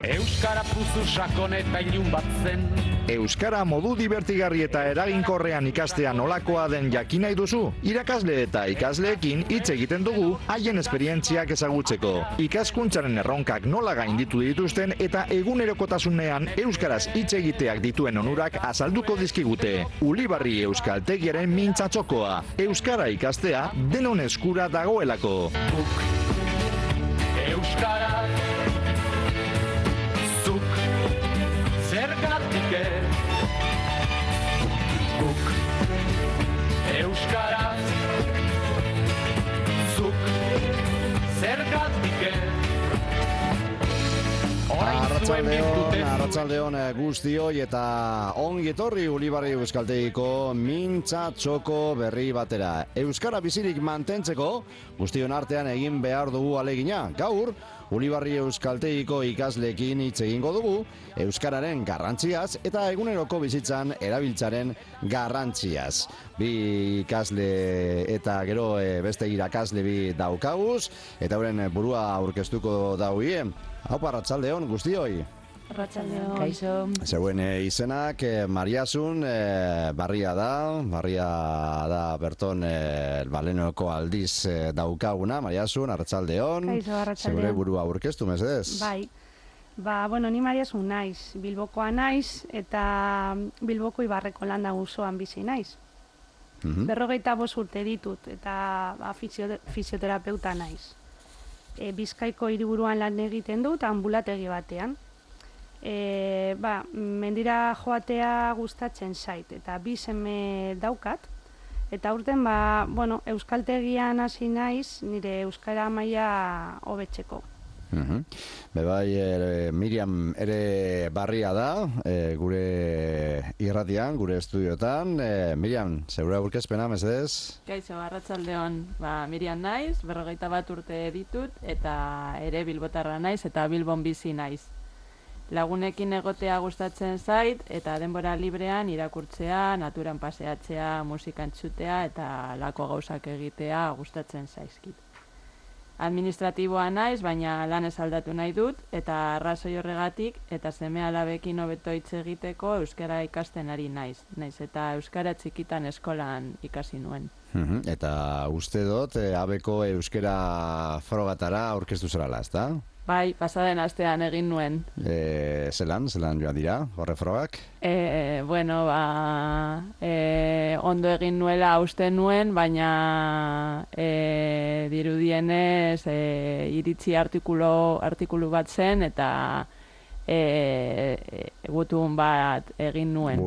Euskara puzu sakon eta ilun bat zen. Euskara modu divertigarri eta eraginkorrean ikastea nolakoa den jakin nahi duzu? Irakasle eta ikasleekin hitz egiten dugu haien esperientziak ezagutzeko. Ikaskuntzaren erronkak nola gainditu dituzten eta egunerokotasunean euskaraz hitz egiteak dituen onurak azalduko dizkigute. Ulibarri Euskaltegiaren mintzatxokoa. Euskara ikastea denon eskura dagoelako. Euskara zergatik guk euskaraz zuk zergatik Arratsaldeon guztioi eta ongi etorri Ulibarri Euskaltegiko mintza txoko berri batera. Euskara bizirik mantentzeko guztion artean egin behar dugu alegina. Gaur Ulibarri Euskaltegiko ikasleekin hitz egingo dugu euskararen garrantziaz eta eguneroko bizitzan erabiltzaren garrantziaz. Bi ikasle eta gero beste irakasle bi daukaguz eta euren burua aurkeztuko daugie. Haupa, arratsaldeon guztioi. Arratsaldeon. Kaixo. Zeuen izenak Mariasun Barria da berton balenoko aldiz daukaguna. Mariasun, arratsaldeon. Kaixo, arratsaldeon. Zeure burua aurkeztu mesedez. Bai. Ni Mariasun naiz, Bilbokoa naiz eta Bilboko Ibarreko landa auzoan bizi naiz. 45 urte ditut eta fisioterapeuta naiz. Bizkaiko hiriburuan lan egiten dut anbulategi batean. Mendira joatea gustatzen zait eta bi seme daukat. Eta urten euskaltegian hasi naiz nire euskara maila hobetzeko. Miriam ere Barria da, gure irratian, gure estudiotan. Miriam, zeure aurkezpena, mesedez? Kaixo, arratsaldeon, Miriam naiz, 41 urte ditut, eta ere bilbotarra naiz, eta Bilbon bizi naiz. Lagunekin egotea gustatzen zait, eta denbora librean irakurtzea, naturan paseatzea, musika entzutea, eta lako gauzak egitea gustatzen zaizkit. Administratiboa naiz, baina lanez aldatu nahi dut, eta arrazoi horregatik, eta seme-alabekin hobeto hitz egiteko euskara ikasten ari naiz. Naiz eta euskara txikitan eskolan ikasi nuen. Eta uste dut, abeko euskara frogatara aurkeztu zerala, ezta? Bai, pasaden astean egin nuen. Zelan joan dira, horre frogak? Ondo egin nuela uste nuen, baina dirudienez iritzi artikulu bat zen eta gutun bat egin nuen.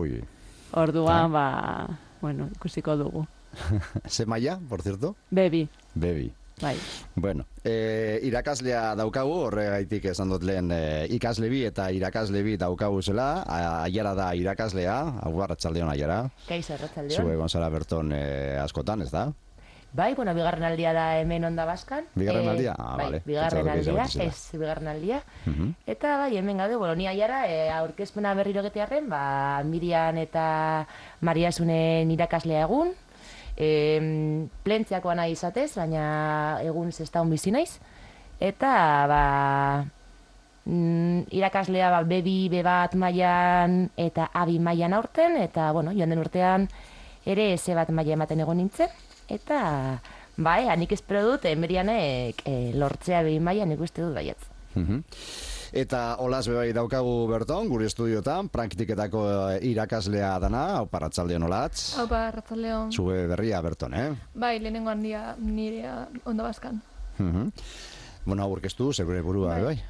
Orduan, ikusiko dugu. Ze maila, por cierto? Bebi. Bai. Bueno, irakaslea daukagu, horregaitik esan dut lehen ikasle bi eta irakasle bi daukagu zela. Aiara da irakaslea, arratsaldeon Aiara. Kaixo, arratsaldeon. Zue gonzara berton askotan, ez da? Bai, bigarren aldia da hemen Ondabaskan. Bigarren aldia? Bai, bigarren aldia. Eta bai, hemen gaude, ni Aiara aurkezpena berriro getiarren, Miriam eta Mariasunen irakaslea egun. Plentziakoa nahi izatez, baina egun zestaun bizi naiz. Eta irakaslea bebi, bebat mailan eta abi mailan aurten, eta joan den urtean ere ze bat maila ematen egon nintzen. Eta nik espero dut Mirianek lortzea bebi mailan ikuste dut baietz. Eta olaz bebai daukagu berton, gure estudiotan, praktiketako irakaslea dana. Haupa, arratsaldeon olatz. Haupa, arratsaldeon. Zue berria berton, Bai, lehenengo handia nire Ondabaskan. Aurkeztu, zeure burua, bai?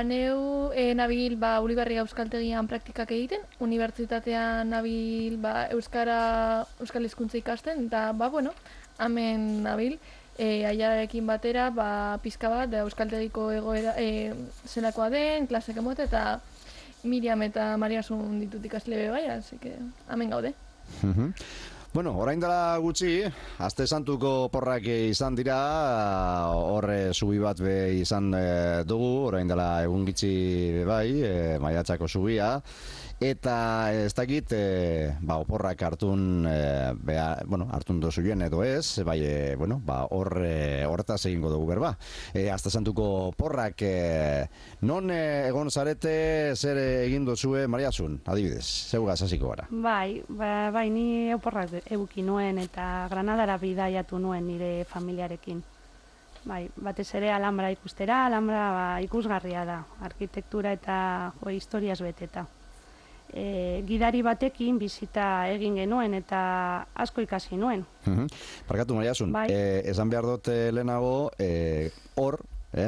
Neu nabil Ulibarri Euskaltegian praktikak egiten, unibertsitatean nabil euskal hizkuntza ikasten, eta hemen nabil, Aiararekin batera, pizka bat, euskaltegiko egoera zelakoa den, klasek emote, eta Miriam eta Mariasun ditut ikasle bai, así que hemen gaude. Bueno, orain dela gutxi, Aste Santuko porrak izan dira, horre zubi bat be izan dugu, orain dela egun gitxi bai, Maiatzako zubia, eta ez dakit, oporrak hartun, hartun dozuen edo ez, bai, horretaz egingo dugu berba. Aste Santuko porrak, non egon zarete, zer egin dozue, Mariasun, adibidez, zeugaz hasiko gara. Bai, ni oporrak eduki nuen eta Granadara bidaiatu nuen nire familiarekin. Bai, batez ere Alhambra ikustera, Alhambra ikusgarria da, arkitektura eta historiaz beteta. Gidari batekin bizita egin genuen eta asko ikasi nuen. Barkatu, Mariasun, esan behar dut lehenago, hor,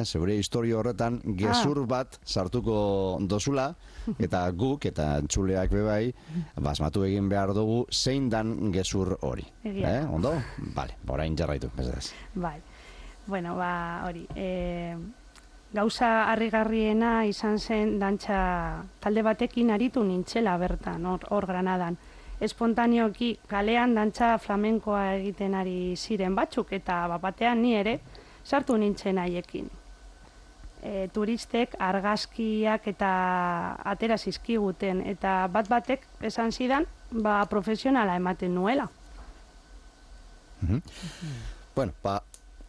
zeure historio horretan, gezur bat sartuko dozula, eta guk, eta entzuleak bebai, basmatu egin behar dugu, zein dan gezur hori. Ondo? Bale, orain jarraitu, bezadez. Bai, bueno, hori, gauza harrigarriena izan zen dantza talde batekin aritu nintzela bertan, hor Granadan. Espontaneoki kalean dantza flamenkoa egiten ari ziren batzuk, eta batean ni ere sartu nintzen haiekin. Turistek argazkiak eta atera zizkiguten, eta batek esan zidan, profesionala ematen nuela. Bueno,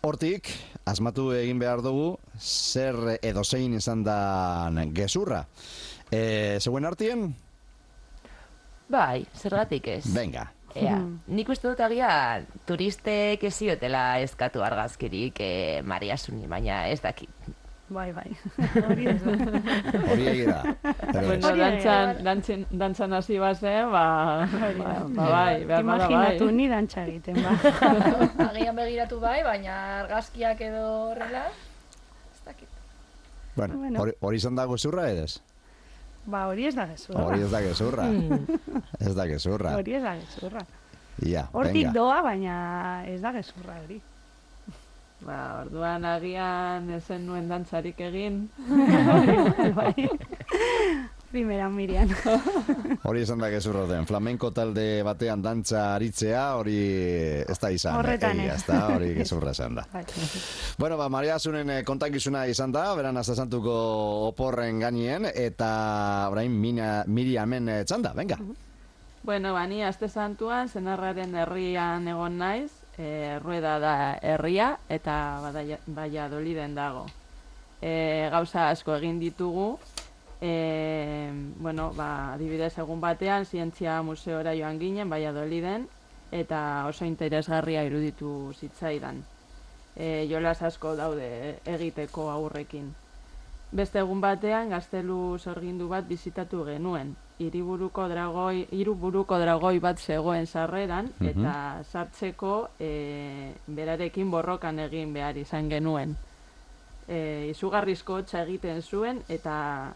hortik, asmatu egin behar dugu, zer edo zein izan da gezurra. Zeuen artien? Bai, zergatik ez. Venga. Nik uste dut agian turistek ez ziotela eskatu argazkirik Mariasuni, baina ez dakit. Bai, hori ez da. Hori egira. Bueno, dantzan hasi bazen, bai, behar bada bai. Imaginatu ni dantza egiten, Agian begiratu bai, baina argazkiak edo horrela, ez dakit. Bueno, hori izan da gezurra edez? Hori ez da gezurra. Hori ez da gezurra. Ez da gezurra. Hori ez da gezurra. Hortik doa, baina ez da gezurra hori. Orduan agian ezen nuen dantzarik egin. Bai. Primera Miriam. Hori esan da gezurra den. Flamenko talde batean dantza aritzea, hori ez da izan. Horretan ez. Hori gezurra esan da. Bueno, Mariasunen kontakizuna izan da, beran Aste Santuko oporren gainien, eta orain Miriamen txanda, venga. Bueno, ni Aste Santuan senarraren herrian egon naiz, Rueda da herria eta Valladoliden dago. Gauza asko egin ditugu, adibidez egun batean zientzia museora joan ginen Valladoliden eta oso interesgarria iruditu zitzaidan. Jolas asko daude egiteko aurrekin. Beste egun batean gaztelu sorgindu bat bizitatu genuen. Hiruburuko dragoi bat zegoen sarreran, eta sartzeko berarekin borrokan egin behar izan genuen. Izugarrizko hotza egiten zuen, eta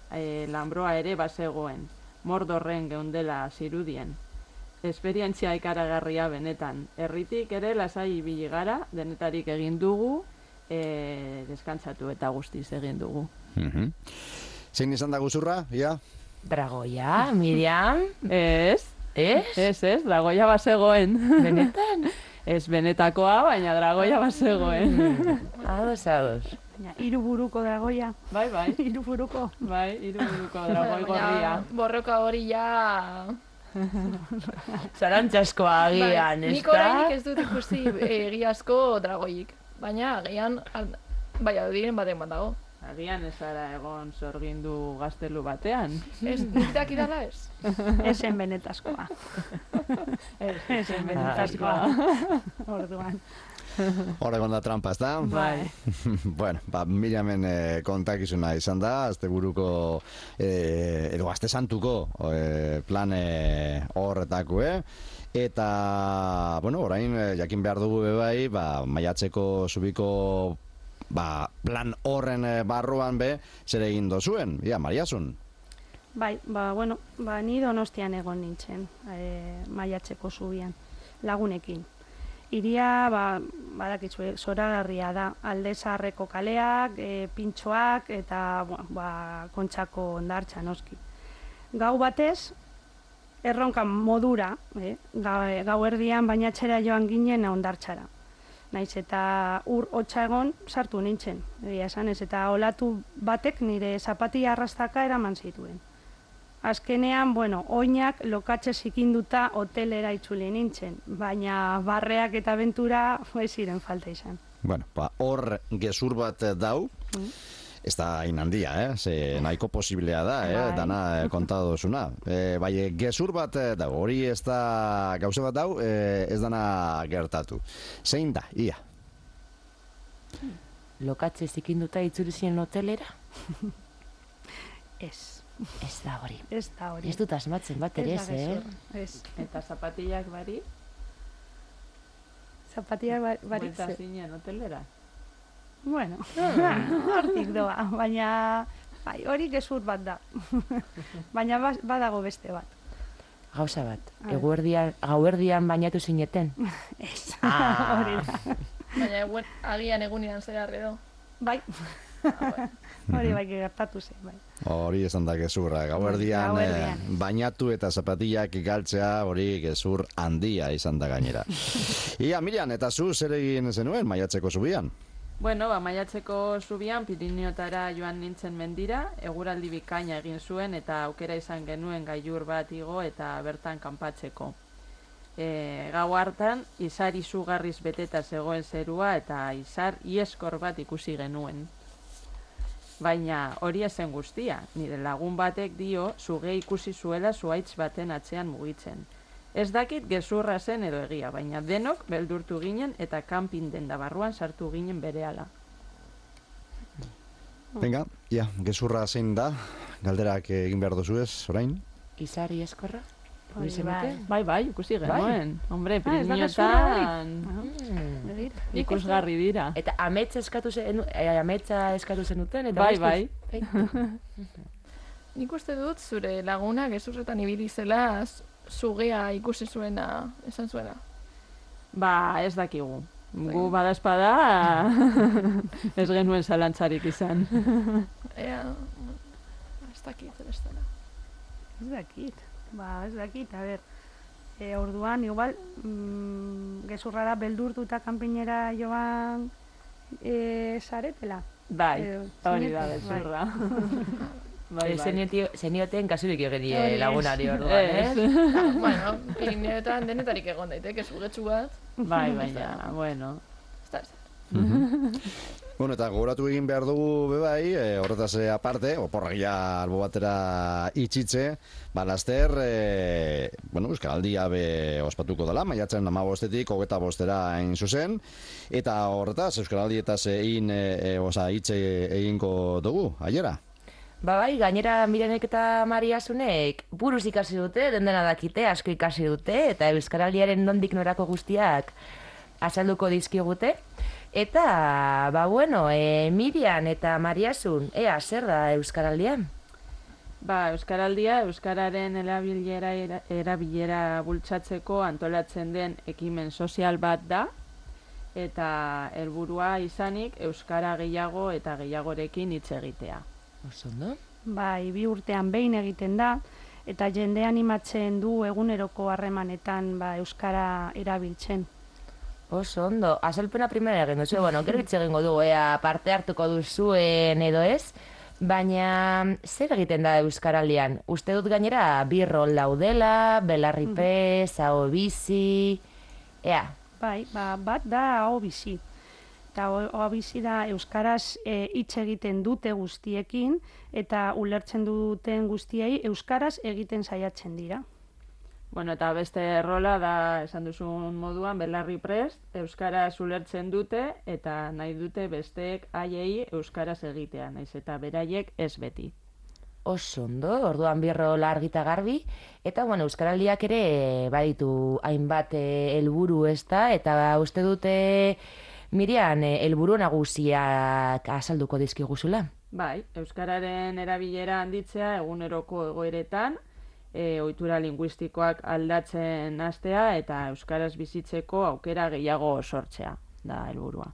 lanbroa ere bazegoen. Mordorren geundela zirudien. Esperientzia ikaragarria benetan. Herritik ere lasai ibili gara, denetarik egin dugu, deskantzatu eta guztiz egin dugu. Zein izan da gezurra, ja? Dragoia, Miriam? Ez, dragoia bazegoen. Benetan? Ez benetakoa, baina dragoia bazegoen. Ados. Hiruburuko dragoia. Bai. Hiruburuko. Bai, hiruburuko dragoi gorria. Borroka hori ja... Zarantzaskoa agian, ez da? Nik orainik ez dut ikusi egiazko dragoik. Baina agian, diren baten bat dago. Agian ez ara egon sorgindu gaztelu batean. Ez, nik dakidala ez. Esen benetazkoa. Esen benetazkoa. Orduan. Horregon da trampa, ez da? Bai. Bueno, Miriamen kontakizuna izan da, asteburuko, edo Aste Santuko plan horretako, eta, orain jakin behar dugu bebai, Maiatzeko zubiko plan horren barruan zer egin dozuen, Mariasun? Bai, ni Donostian egon nintzen, Maiatzeko zubian, lagunekin. Iria, badakizue, zoragarria da, Alde Zaharreko kaleak, pintxoak eta Kontxako hondartza noski. Gau batez, erronka modura, gauerdian bainatzera joan ginen hondartzara. Naiz eta ur hotza egon sartu nintzen, egia esan ez, eta olatu batek nire zapatia arrastaka eraman zituen. Azkenean, oinak lokatxe zikinduta hotelera itzuli nintzen, baina barreak eta abentura ez ziren falta izan. Hor gezur bat dau, ez da hain handia, ze nahiko posiblea da, dana kontatu duzuna. Bai, gezur bat dau, hori ez da gauze bat dau, ez dana gertatu. Zein da, ia? Lokatze zikinduta itzuli ziren hotelera? Ez. Ez da hori. Ez da hori. Ez dut asmatzen bat ere ez, Ez. Eta zapatillak bari? Zapatillak bari? Buelta zinen hotelera? Hortik doa, baina hori gezur bat da. Baina badago beste bat. Gauza bat, gauerdian bainatu zineten? Ez, hori da. Baina agian egunean zehar edo. Bai. Hori bai gertatu zen, bai. Hori esan da gezurra, gauerdian bainatu eta zapatillak galtzea hori gezur handia izan da gainera. Ia, Miriam, eta zu zer egin zenuen maiatzeko zubian? Maiatzeko zubian Pirineotara joan nintzen mendira, eguraldi bikaina egin zuen eta aukera izan genuen gailur bat igo eta bertan kanpatzeko. Gau hartan, izar izugarriz beteta zegoen zerua eta izar ieskor bat ikusi genuen. Baina hori ezen guztia, nire lagun batek dio suge ikusi zuela zuhaitz baten atzean mugitzen. Ez dakit gezurra zen edo egia, baina denok beldurtu ginen eta kanpin denda barruan sartu ginen berehala. Venga, ia, gezurra zein da, galderak egin behar duzu ez, orain? Izar ieskorra? Bai, ikusi genuen. Hombre, Pirineotan ikusgarri dira. Eta ametsa eskatu zenuten? Bai. Nik uste dut zure laguna gezurretan ibili zela sugea ikusi zuena, esan zuena. Ez dakigu. Gu badazpada ez genuen zalantzarik izan. Ez dakit, Ez dakit, a ber. Orduan, igual, gezurrara beldurtu eta kanpinera joan zaretela. Bai, hori da gezurra. Zenioten kasurik egin lagunari orduan, ez? Pirineotan denetarik egon daiteke zugetsu bat. Bai, baina, bueno. Eta gogoratu egin behar dugu bebai, horretaz aparte, oporragia albo batera itxitze, laster, Euskaraldia ospatuko dela, maiatzen 15-etik 25-era hain zuzen, eta horretaz Euskaraldietaz hitz egingo dugu, aiera? Bai, gainera Mirenek eta Mariasunek buruz ikasi dute, dendena dakite, asko ikasi dute, eta Euskaraldiaren nondik norako guztiak azalduko dizkigute. Eta, Miriam eta Mariasun, zer da Euskaraldia? Euskaraldia, Euskararen erabilera bultzatzeko antolatzen den ekimen sozial bat da, eta helburua izanik Euskara gehiago eta gehiagorekin hitz egitea. Osondo? 2 urtean behin egiten da, eta jende animatzen du eguneroko harremanetan Euskara erabiltzen. Oso ondo, azalpena primera egin duzu, gero hitz egingo dugu, parte hartuko duzuen edo ez, baina zer egiten da Euskaraldian? Uste dut gainera bi rol daudela, belarripez, aho bizi, Bai, bat da aho bizi. Eta aho bizi da Euskaraz hitz egiten dute guztiekin, eta ulertzen duten guztiei Euskaraz egiten saiatzen dira. Eta beste rola da, esan duzun moduan, belarri prest, Euskaraz ulertzen dute, eta nahi dute besteek haiei Euskaraz egitea, naiz eta beraiek ez beti. Oso ondo, orduan bi rol argi eta garbi, eta Euskaraldiak ere baditu hainbat helburu ezta, eta uste dute Miriam helburu nagusiak azalduko dizkiguzula. Bai, Euskararen erabilera handitzea eguneroko egoeretan, ohitura linguistikoak aldatzen hastea eta Euskaraz bizitzeko aukera gehiago sortzea da helburua.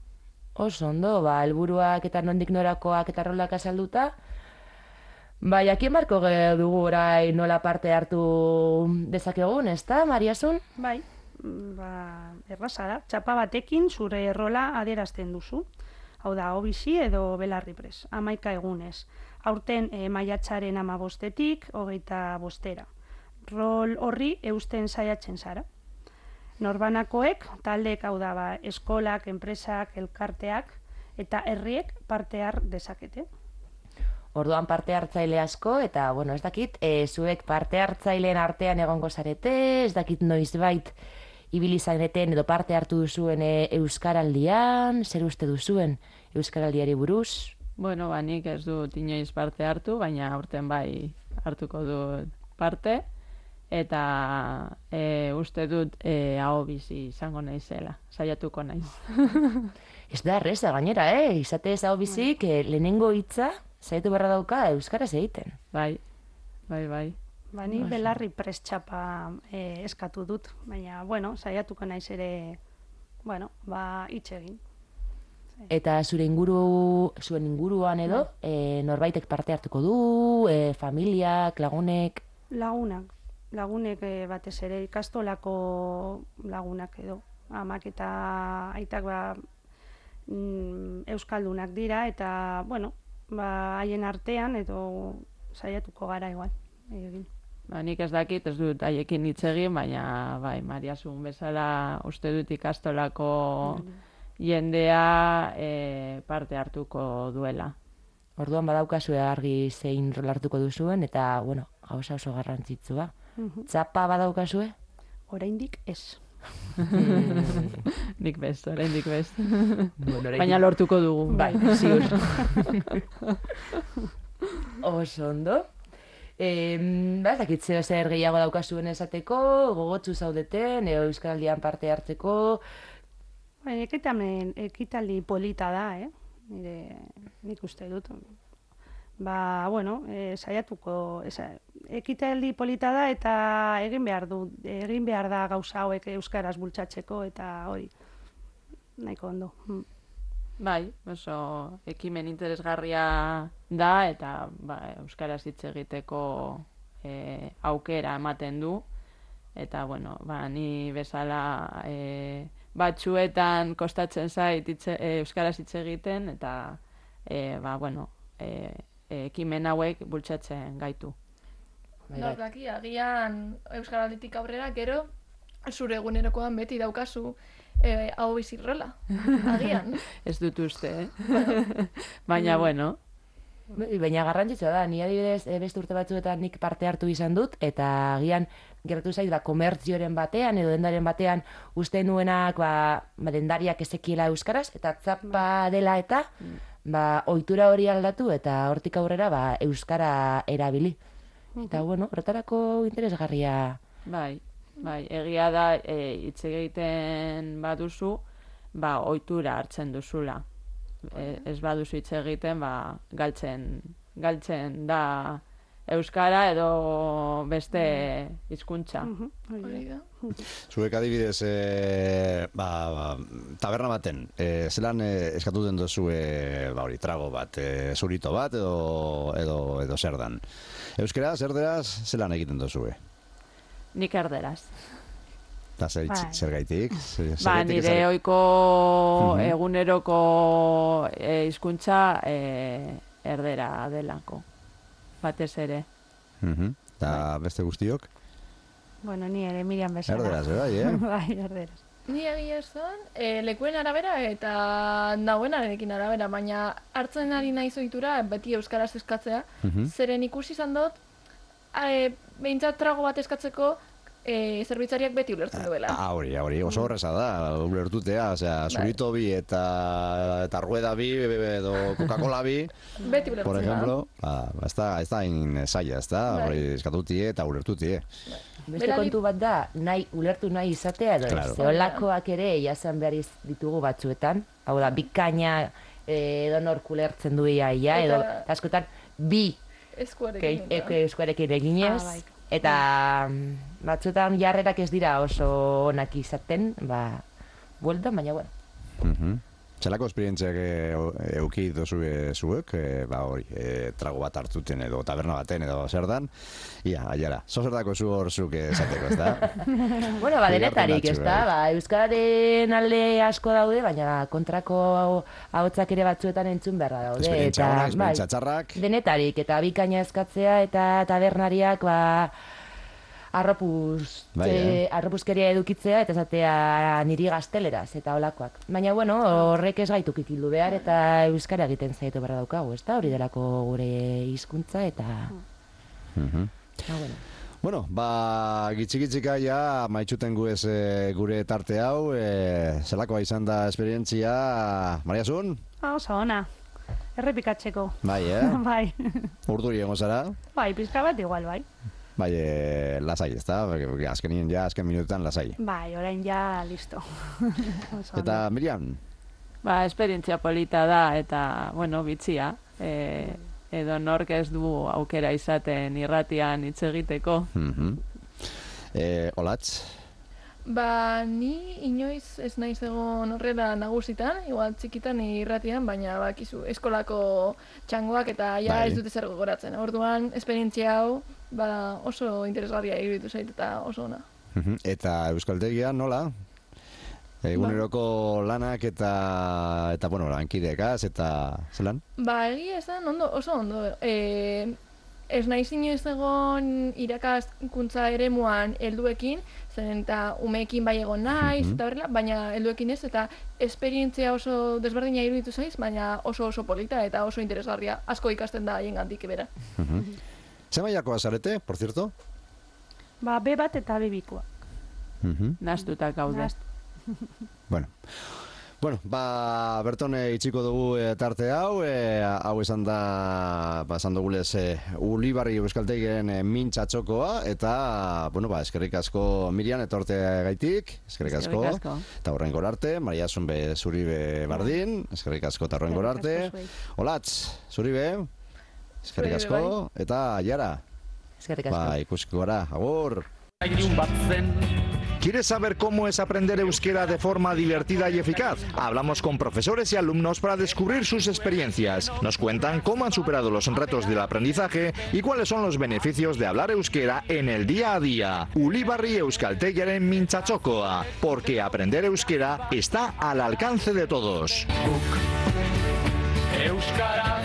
Oso ondo, helburuak eta nondik norakoak eta rolak azalduta, Bai, jakin barko dugu orai nola parte hartu dezakegun, ezta, Mariasun? Bai, erraza da. Txapa batekin zure rola adierazten duzu. Hau da, obisi edo belarri pres, 11 egunez. Aurten maiatzaren 15-etik 25-era. Rol horri eusten saiatzen zara. Norbanakoek, taldeek hau da, eskolak, enpresak, elkarteak eta herriek parte har dezakete. Orduan parte hartzaile asko, eta, bueno, ez dakit, zuek parte hartzaileen artean egongo zarete, ez dakit noizbait ibili zareten edo parte hartu duzuen Euskaraldian, zer uste duzuen Euskaraldiari buruz? Bueno, nik ez dut inoiz parte hartu, baina aurten bai hartuko dut parte, eta uste dut aho bizi izango naizela, saiatuko naiz. Ez da erreza gainera, izatez aho bizik lehenengo hitza zaitu berra dauka euskaraz egiten. Bai. Ni belarri prest txapa eskatu dut, baina, bueno, saiatuko naiz ere, hitz egin. Eta zuen inguruan edo, norbaitek parte hartuko du, familiak, lagunek? Lagunek batez ere ikastolako lagunak edo. Amak eta aitak euskaldunak dira, eta, haien artean edo saiatuko gara igual. Egin. Nik ez dakit, ez dut haiekin hitz egin, baina bai, Mariasun bezala uste dut ikastolako jendea parte hartuko duela. Orduan badaukazue argi zein rol hartuko duzuen, eta, gauza oso garrantzitsua. Txapa badaukazue? Oraindik ez. Nik bez, oraindik bez. Baina lortuko dugu. Bai, ziur. Oso ondo. Ez dakit zer gehiago daukazuen esateko, gogotsu zaudeten, Euskaraldian parte hartzeko. Ekitaldi polita da, nik uste dut. Saiatuko, ekitaldi polita da eta egin behar da gauza hauek euskaraz bultzatzeko eta hori, nahiko ondo. Bai, oso ekimen interesgarria da eta euskaraz hitz egiteko aukera ematen du. Eta, ni bezala batzuetan kostatzen zait euskaraz hitz egiten eta, ekimen hauek bultzatzen gaitu. Daki, agian Euskaralditik aurrera, gero, zure egunerokoan beti daukazu hau bizirrola, agian. Ez dut uste, Baina, Baina garrantzitsua da, ni adibidez beste urte batzuetan nik parte hartu izan dut, eta agian geratu zait, komertzioren batean edo dendaren batean uste nuenak dendariak ezekiela euskaraz, eta txapa dela eta ohitura hori aldatu eta hortik aurrera euskara erabili. Eta horretarako interesgarria. Bai, egia da hitz egiten baduzu, ohitura hartzen duzula. Ez baduzu hitz egiten, galtzen da euskara edo beste hizkuntza. Zuek adibidez, taberna baten, zelan eskatu den duzu trago bat, zurito bat edo zer dan. Euskaraz, erderaz, zelan egiten duzu? Nik erderaz. Eta zer gaitik? Nire ohiko eguneroko hizkuntza erdera delako. Batez ere. Eta beste guztiok? Ni ere Miriam bezala. Erderaz, bai, erderaz. Ni egia esan, lekuen arabera eta dagoenarekin arabera, baina hartzen ari naiz ohitura beti euskaraz eskatzea, zeren ikusi izan dut, behintzat trago bat eskatzeko, zerbitzariak beti ulertzen duela. Hori, oso horreza da, ulertutea, zurito bi eta rueda bi, edo Coca-Cola bi, beti ulertzen por ejemplo, ez da hain zaila, ez da, eskatutie eta ulertutie. Beste kontu bat da, ulertu nahi izatea, zeolakoak ere jasan behar ditugu batzuetan, hau da, bikaina edonork ulertzen du ia, edo askotan bi eskuarekin eginez, eta batzuetan jarrerak ez dira oso onak izaten, bueltan, baina bueno. Zelako esperientziak euki dozue zuek, hori, trago bat hartuten edo taberna baten edo zer dan, ia, aiara, zozerdako zu hor zuk esateko, ez da? Bueno, denetarik, ez da, euskararen alde asko daude, baina kontrako ahotsak ere batzuetan entzun beharra daude. Esperientzia ona, esperientzia txarrak. Denetarik, eta bikaina eskatzea eta tabernariak, arropuzkeria edukitzea eta esatea niri gazteleraz eta olakoak. Baina, bueno, horrek ez gaitu kikildu behar eta euskara egiten zaitu behar daukagu, ez da? Hori delako gure hizkuntza eta... Bueno, gitxika ja maitxuten guez gure tarte hau, zelakoa izan da esperientzia, Mariasun? Oso ona, errepikatzeko. Bai, Bai. Urduri egon zara? Bai, pizka bat igual, bai. Bai, lasai, ez da? Azken minututan lasai. Bai, orain ja listo. Eta Miriam? Esperientzia polita da eta, bueno, bitxia. Edo nork ez du aukera izaten irratian hitz egiteko. Olatz? Ni inoiz ez naiz egon horrela nagusitan, igual txikitan irratian, baina bakizu eskolako txangoak eta ja ez dute zer gogoratzen. Orduan, esperientzia hau oso interesgarria iruditu zait eta oso ona. Eta euskaltegia nola? Eguneroko lanak eta bueno, lankidekaz eta zelan? Egia esan oso ondo. Ez naiz inoiz egon irakaskuntza eremuan helduekin, zen eta umeekin bai egon naiz, eta horrela, baina helduekin ez, eta esperientzia oso desberdina iruditu zaiz, baina oso polita eta oso interesgarria, asko ikasten da haien gandik bera. Zer mailakoa zarete, por cierto? B bat eta B bikoa. Nastutak gaude. Bueno, berton itxiko dugu tarte hau, hau esan da, esan dugulez Ulibarri euskaltegiren mintzatxokoa, eta, eskerrik asko Miriam etorte gaitik, eskerrik asko, eta horren gorarte, Mariasun be zuribe bardin, eskerrik asko eta horren gorarte, Olatz, zuribe, eskerrik asko, eta Jara, eskerrik asko, ikusiko gara, agur. ¿Quieres saber cómo es aprender euskera de forma divertida y eficaz? Hablamos con profesores y alumnos para descubrir sus experiencias. Nos cuentan cómo han superado los retos del aprendizaje y cuáles son los beneficios de hablar euskera en el día a día. Ulibarri euskaltegiaren mintzatxokoa, porque aprender euskera está al alcance de todos. Euskaraz